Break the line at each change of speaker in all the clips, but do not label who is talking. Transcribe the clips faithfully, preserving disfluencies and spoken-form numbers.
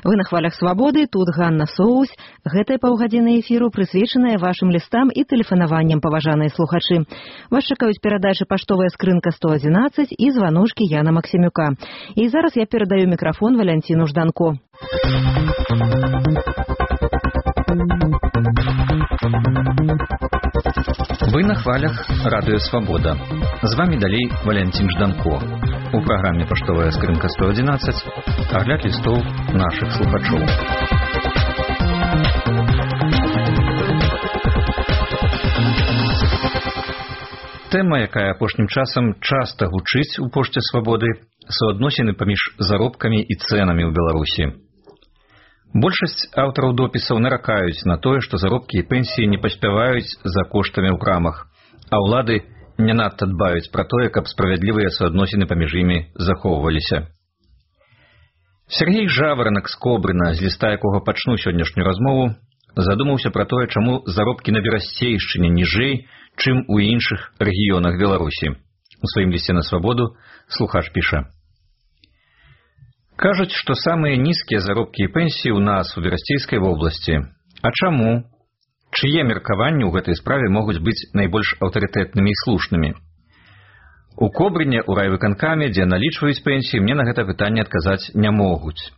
Вы на хвалях свабоды, тут Ганна Соус. Гэтая паўгадзіны эфіру прысвечаная вашым лістам і тэлефанаванням, паважаныя слухачы. Вас чакаюць перадачы паштовая скрынка сто адзінаццаць і званочкі Яна Максімюка. І зараз я перадаю мікрафон Валянціну Жданко.
Вы на хвалях Радыё Свабода. З вами далей Валянцін Жданко. У праграме «Паштовая скрынка сто адзінаццаць» агляд лістоў нашых слухачоў. Тэма, якая апошнім часам часта гучыць у пошце Свабоды, суадносіны паміж заробкамі і цэнамі ў Беларусі. Большасць аўтараў допісаў наракаюць на тое, што заробкі і пенсіі не паспяваюць за коштамі ў крамах, а ўлады не надта дбаюць пра тое, каб справядлівыя суадносіны паміж імі захоўваліся. Сергей Жаваранак з Кобрына, з ліста якога пачну сённяшнюю размову, задумаўся пра тое, чаму заробкі на Берасцейшчыне ніжэй, чым у іншых рэгіёнах Беларусі. У сваім лісце на Свабоду слухач піша: «Кажуць, што самыя нізкія заробкі і пенсіі ў нас, у Берасцейскай вобласці. А чаму? Чые меркаванні ў гэтай справе могуць быць найбольш аўтарытэтнымі і слушнымі? У Кобрыне, у райвыканкаме, дзе налічваюць пенсіі, мне на гэта пытанне адказаць не могуць.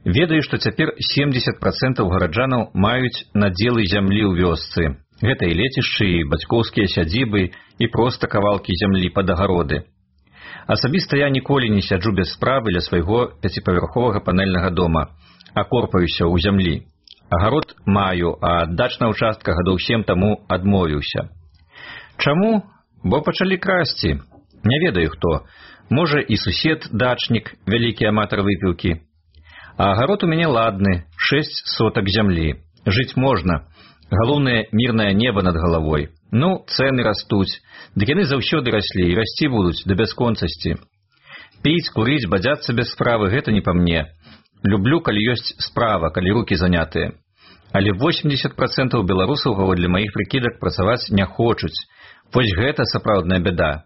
Ведаю, што цяпер семдзесят працэнтаў гараджанаў маюць надзелы зямлі ў вёсцы. Гэта і лецішчы, і бацькоўскія сядзібы, і проста кавалкі зямлі пад агароды. Асабіста я ніколі не сяджу без справы ля свайго пяціпавярховага панельнага дома, а корпаюся ў зямлі. Агарод маю, а аддач на ўчастка гадоў сем таму адмовіўся. Чаму? Бо пачалі красці. Не ведаю хто. Можа і сусед, дачнік, вялікі аматар выпіўкі. А агарод у мяне ладны, шэсць сотак зямлі. Жыць можна. Галоўнае мірнае неба над галавой. Ну, цэны растуць. Дык яны заўсёды раслі і расці будуць да бясконцасці. Піць, курыць, бадзяцца без справы — гэта не па мне. Люблю, калі ёсць справа, калі рукі занятыя. Але восемдзесят працэнтаў беларусаў, паводле маіх прыкідак, працаваць не хочуць. Вось гэта сапраўдная бяда.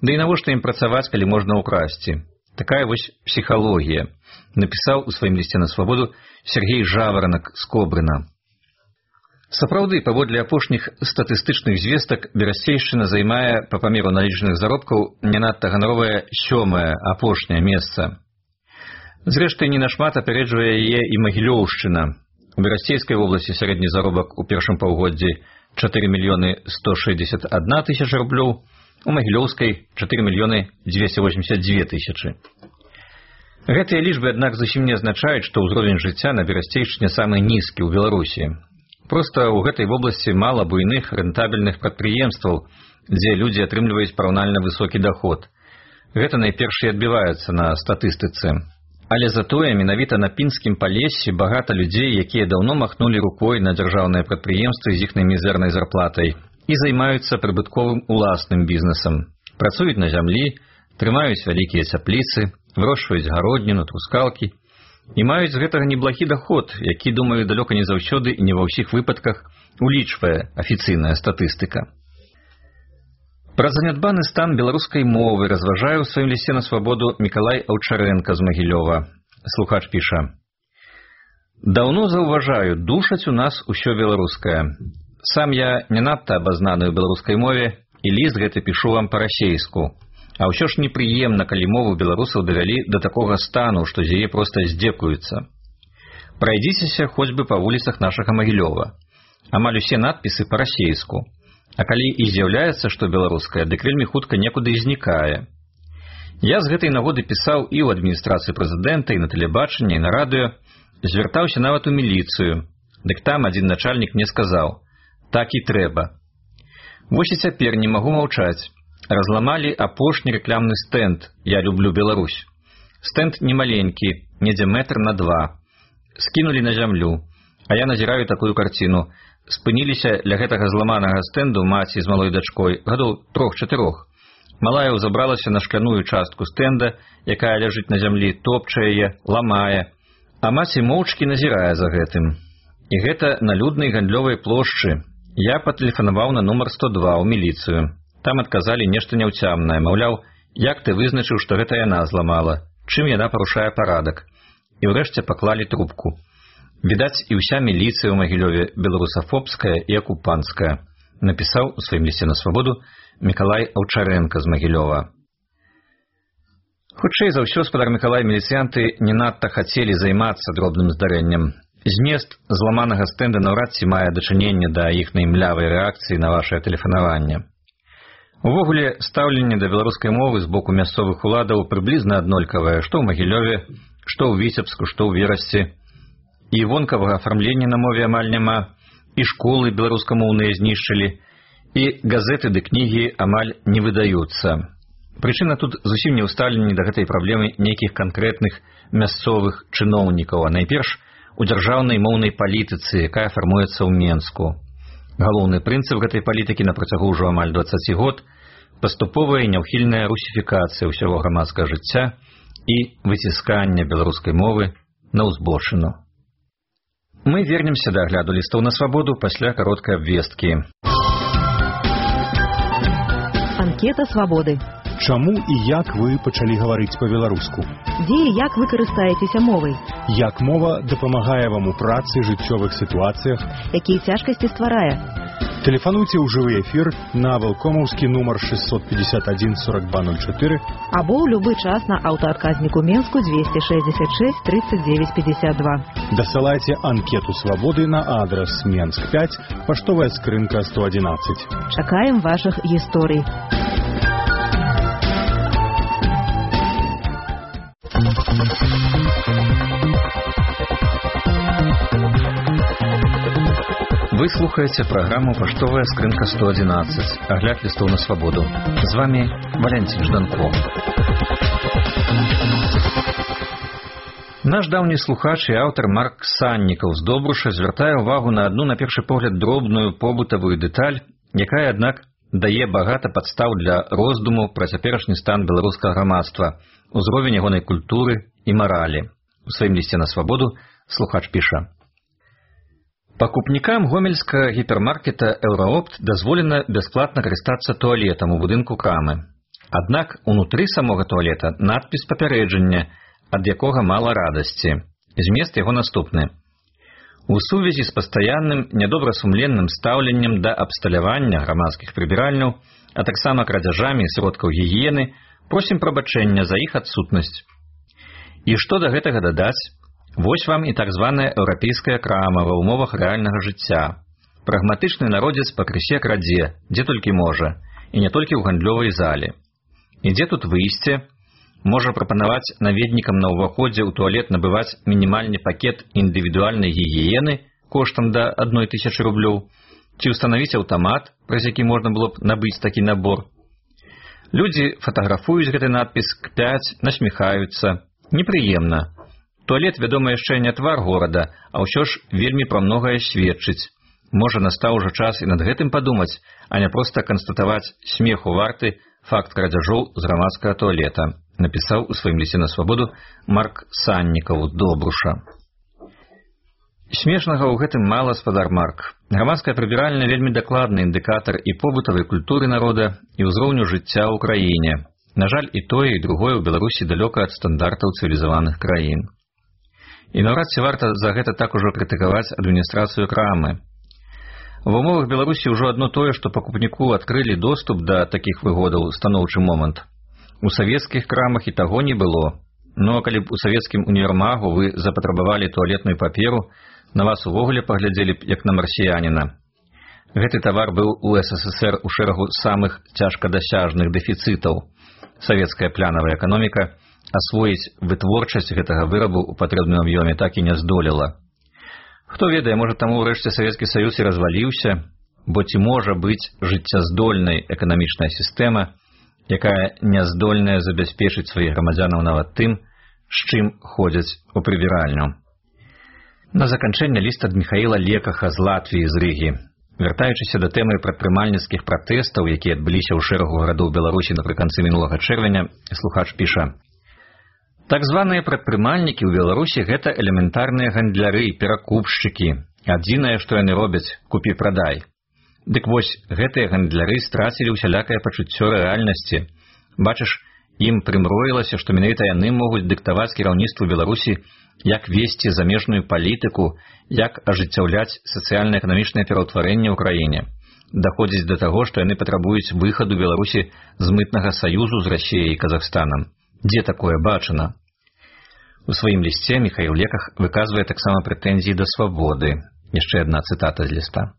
Да і навошта ім працаваць, калі можна ўкрасці? Такая вось псіхалогія, напісаў у сваім лісце на Свабоду Сергей Жаваранак з Кобрына. Сапраўды, паводле апошніх статыстычных звестак, Берасцейшчына займае па памеру налічаных заробкаў не надта ганаровае сёмае, апошняе месца. Зрэшты, не нашмат апярэджвае яе і Магілёўшчына. У Берасцейскай вобласці сярэдні заробак у першым паўгоддзі чатыры мільёны сто шэсцьдзесят адна тысяча рублёў, у Магілёўскай чатыры мільёны дзвесце восемьдзесят дзве тысячы. Гэтыя лічбы, аднак, зусім не азначаюць, што ўзровень жыцця на Берасцейшчыне самы нізкі ў Беларусі. Проста ў гэтай вобласці мала буйных рэнтабельных прадпрыемстваў, дзе людзі атрымліваюць параўнальна высокі даход. Гэта найперш і адбіваецца на статыстыцы. Але затое менавіта на пінскім палессі багата людзей, якія даўно махнулі рукой на дзяржаўныя прадпрыемствы з іхнай мізэрнай зарплатай і займаюцца прыбытковым уласным бізнесам. Працуюць на зямлі, трымаюць вялікія цяпліцы, вырошчваюць гародніну, трускалкі і маюць з гэтага неблагі даход, які, думаю, далёка не заўсёды і не ва ўсіх выпадках улічвае афіцыйная статыстыка. Пра занядбаны стан беларускай мовы разважае ў сваім лісце на Свабоду Мікалай Аўчарэнка з Магілёва. Слухач піша: «Даўно заўважаю, душаць у нас усё беларускае. Сам я не надта абазнаны ў беларускай мове, і ліст гэты пішу вам па-расейску. А ўсё ж непрыемна, калі мову беларусаў давялі да такога стану, што з яе проста здзекуюцца. Прайдзіцеся хоць бы па вуліцах нашага Магілёва. Амаль усе надпісы па-расейску. А калі і з'яўляецца, што беларуская, дык вельмі хутка некуды і знікае. Я з гэтай нагоды пісаў і ў адміністрацыі прэзідэнта, і на тэлебачанні, і на радыё, звяртаўся нават у міліцыю. Дык там адзін начальнік мне сказаў: так і трэба. Вось і цяпер не магу маўчаць. Разламалі апошні рэкламны стэнд «Я люблю Беларусь». Стэнд немаленькі, недзе метр на два. Скінулі на зямлю. А я назіраю такую карціну. Спыніліся ля гэтага зламанага стэнду маці з малой дачкой, гадоў трох-чатырох. Малая ўзабралася на шкляную частку стэнда, якая ляжыць на зямлі, топча яе, ламае. А маці моўчкі назірае за гэтым. І гэта на люднай гандлёвай плошчы. Я патэлефанаваў на нумар сто два ў міліцыю. Там адказалі нешта няўцямнае, маўляў, як ты вызначыў, што гэта яна зламала, чым яна парушае парадак. і ўрэшце паклалі трубку. Відаць, і ўся міліцыя ў Магілёве беларусафобская і акупанцкая, напісаў у сваім лісце на свабоду Мікалай Аўчарэнка з Магілёва. Хутчэй за ўсё, спадар Мікалай, міліцыянты не надта хацелі займацца дробным здарэннем. Змест зламанага стэнда наўрад ці мае дачыненне да іхнай млявай рэакцыі на вашае тэлефанаванне. Увогуле, стаўленне да беларускай мовы з боку мясцовых уладаў прыблізна аднолькавае, што ў Магілёве, што ў Віцебску, што ў Верасці. І вонкавага афармлення на мове амаль няма, і школы беларускамоўныя знішчылі, і газеты ды кнігі амаль не выдаюцца. Прычына тут зусім не ў стаўленні да гэтай праблемы нейкіх канкрэтных мясцовых чыноўнікаў, а найперш у дзяржаўнай моўнай палітыцы, якая фармуецца ў Менску. Галоўны прынцып гэтай палітыкі на працягу ўжо амаль дваццаць год – паступовая і няўхільная русіфікацыя ўсяго грамадскага жыцця і выціскання беларускай мовы на ўзбочыну. Мы вернемся да агляду лістоў на свабоду пасля кароткай абвесткі.
Анкета свабоды.
Чаму і як вы пачалі гаварыць па-беларуску?
Дзе і як вы карыстаецеся мовай?
Як мова дапамагае вам у працы, жыццёвых сітуацыях?
Якія цяжкасці стварае?
Тэлефануйце ў жывы эфір на вэлкомаўскі нумар шэсцьсот пятьдесят один сорок два ноль четыре
або ў любы час на аўтаадказніку Менску двести шестьдесят шесть тридцать девять пятьдесят два.
Дасылайце анкету свабоды на адрес Менск пять, паштовая скрынка сто одиннадцать.
Чакаем вашых гісторый.
Вы слухаеце праграму «Паштовая скрынка сто одиннадцать», агляд лістоў на свабоду. З вами Валентин Жданко. Наш даўні слухач і аўтар Марк Саннікаў з Добруша звяртае ўвагу на адну, на першы погляд, дробную побытавую дэталь, якая, аднак, дае багата падстаў для роздуму пра цяперашні стан беларускага грамадства, узровень ягонай культуры і маралі. У сваім лісце на свабоду слухач піша: пакупнікам гомельскага гіпермаркета «Еўраопт» дазволена бясплатна карыстацца туалетам у будынку крамы. Аднак унутры самога туалета надпіс папярэджання, ад якога мала радасці. Змест яго наступны: у сувязі з пастаянным нядобрасумленным стаўленнем да абсталявання грамадскіх прыбіральняў, а таксама крадзяжамі сродкаў гігіены, просім прабачэння за іх адсутнасць. І што да гэтага дадаць? Вось вам і так званая еўрапейская крама ва ўмовах рэальнага жыцця. Прагматычны народзец пакрысе крадзе, дзе толькі можа, і не толькі ў гандлёвай зале. І дзе тут выйсце? Можа прапанаваць наведнікам на ўваходзе ў туалет набываць мінімальны пакет індывідуальнай гігіены коштам да адной тысячы рублёў, ці ўстанавіць аўтамат, праз які можна было б набыць такі набор. Людзі фатаграфуюць гэты надпіс, кпяць, насміхаюцца. Непрыемна. Туалет, вядома, яшчэ не твар горада, а ўсё ж вельмі пра многае сведчыць. Можа, настаў ужо час і над гэтым падумаць, а не проста канстатаваць смеху варты факт крадзяжоў з грамадскага туалета, напісаў у сваім лісце на свабоду Марк Саннікаў з Добруша. Смешнага ў гэтым мала, спадар Марк. Грамадская прыбіральня вельмі дакладны індыкатар і побытавай культуры народа, і ўзроўню жыцця ў краіне. На жаль, і тое, і другое ў Беларусі далёка ад стандартаў цывілізаваных краін. І наўрад ці варта за гэта так ужо крытыкаваць адміністрацыю крамы. В умовах Беларусі ўжо адно тое, што пакупніку адкрылі доступ да такіх выгодаў, станоўчы момант. У савецкіх крамах і таго не было. Ну, а калі б у савецкім універмагу вы запатрабавалі туалетную паперу, на вас увогуле паглядзелі б як на марсіяніна. Гэты тавар быў у СССР у шэрагу самых цяжкадасяжных дэфіцытаў. Савецкая плянавая эканоміка асвоіць вытворчасць гэтага вырабу ў патрэбным аб'ёме так і не здолела. Хто ведае, можа, таму ўрэшце Савецкі Саюз і разваліўся, бо ці можа быць жыццяздольнай эканамічная сістэма, якая няздольная забяспечыць сваіх грамадзянаў нават тым, з чым ходзяць у прыбіральню. На заканчэнне ліст ад Міхаіла Лекаха з Латвіі, з Рыгі. Вяртаючыся да тэмы прадпрымальніцкіх пратэстаў, якія адбыліся ў шэрагу гарадоў Беларусі напрыканцы мінулага чэрвеня, слухач піша: так званыя прадпрымальнікі ў Беларусі — гэта элементарныя гандляры, перакупшчыкі. Адзінае, што яны робяць — купі-прадай. Дык вось, гэтыя гандляры страцілі ўсялякае пачуццё рэальнасці. Бачыш, ім прымроілася, што менавіта яны могуць дыктаваць кіраўніцтву Беларусі, як весці замежную палітыку, як ажыццяўляць сацыяльна-эканамічнае пераўтварэнне ў краіне. Даходзіць да таго, што яны патрабуюць выхаду Беларусі з мытнага саюзу з Расіяй і Казахстанам. Дзе такое бачана? У сваім лісце Міхаіл Леках выказвае таксама прэтэнзіі да свабоды. Яшчэ адна цытата з ліста.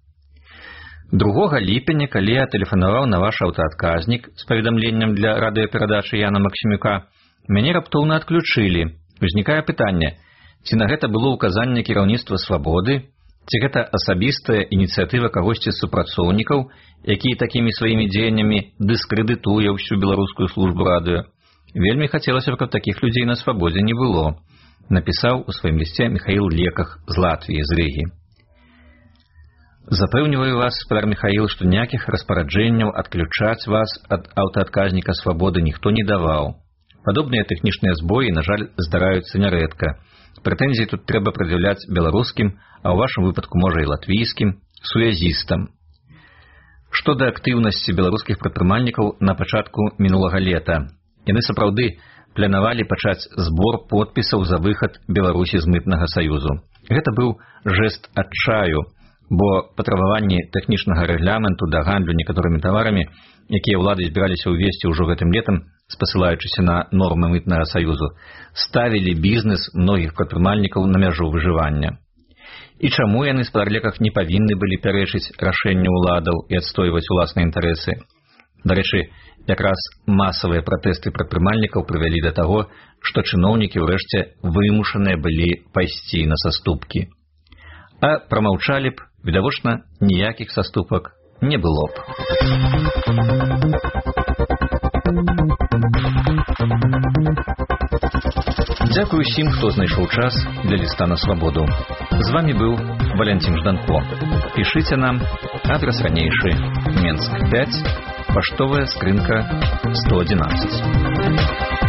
другога ліпеня, калі я тэлефанаваў на ваш аўтаадказнік з паведамленнем для радыёперадачы Яна Максімюка, мяне раптоўна адключылі. Узнікае пытанне, ці на гэта было ўказанне кіраўніцтва свабоды, ці гэта асабістая ініцыятыва кагосьці з супрацоўнікаў, які такімі сваімі дзеяннямі дыскрэдытуе ўсю беларускую службу радыё. Вельмі хацелася б, каб такіх людзей на свабодзе не было, напісаў у сваім лісце Міхаіл Леках з Латвіі, з Рыгі. Запэўніваю вас, спадар Міхаіл, што ніякіх распараджэнняў адключаць вас ад аўтаадказніка свабоды ніхто не даваў. Падобныя тэхнічныя збоі, на жаль, здараюцца нярэдка. Прэтэнзіі тут трэба прад'яўляць беларускім, а ў вашым выпадку, можа, і латвійскім, сувязістам. Што да актыўнасці беларускіх прадпрымальнікаў на пачатку мінулага лета. Яны сапраўды планавалі пачаць збор подпісаў за выхад Беларусі з мытнага саюзу. Гэта быў жэст адчаю, бо патрабаванні тэхнічнага рэгламенту да гандлю некаторымі таварамі, якія ўлады збіраліся ўвесці ўжо гэтым летам, спасылаючыся на нормы мытнага саюзу, ставілі бізнес многіх прадпрымальнікаў на мяжу выжывання. І чаму яны, спадар Леках, не павінны былі пярэчыць рашэнню ўладаў і адстойваць уласныя інтарэсы? Дарэчы, якраз масавыя пратэсты прадпрымальнікаў прывялі да таго, што чыноўнікі ўрэшце вымушаныя былі пайсці на саступкі. А прамаўчалі б, відавочна, ніякіх саступак не было б. Дзякую усім, хто знайшоў час для ліста на свабоду. З вами быў Валянцін Жданко. Пішыце нам, адрес ранейшы, Менск пяць, паштовая скрынка сто адзінаццаць.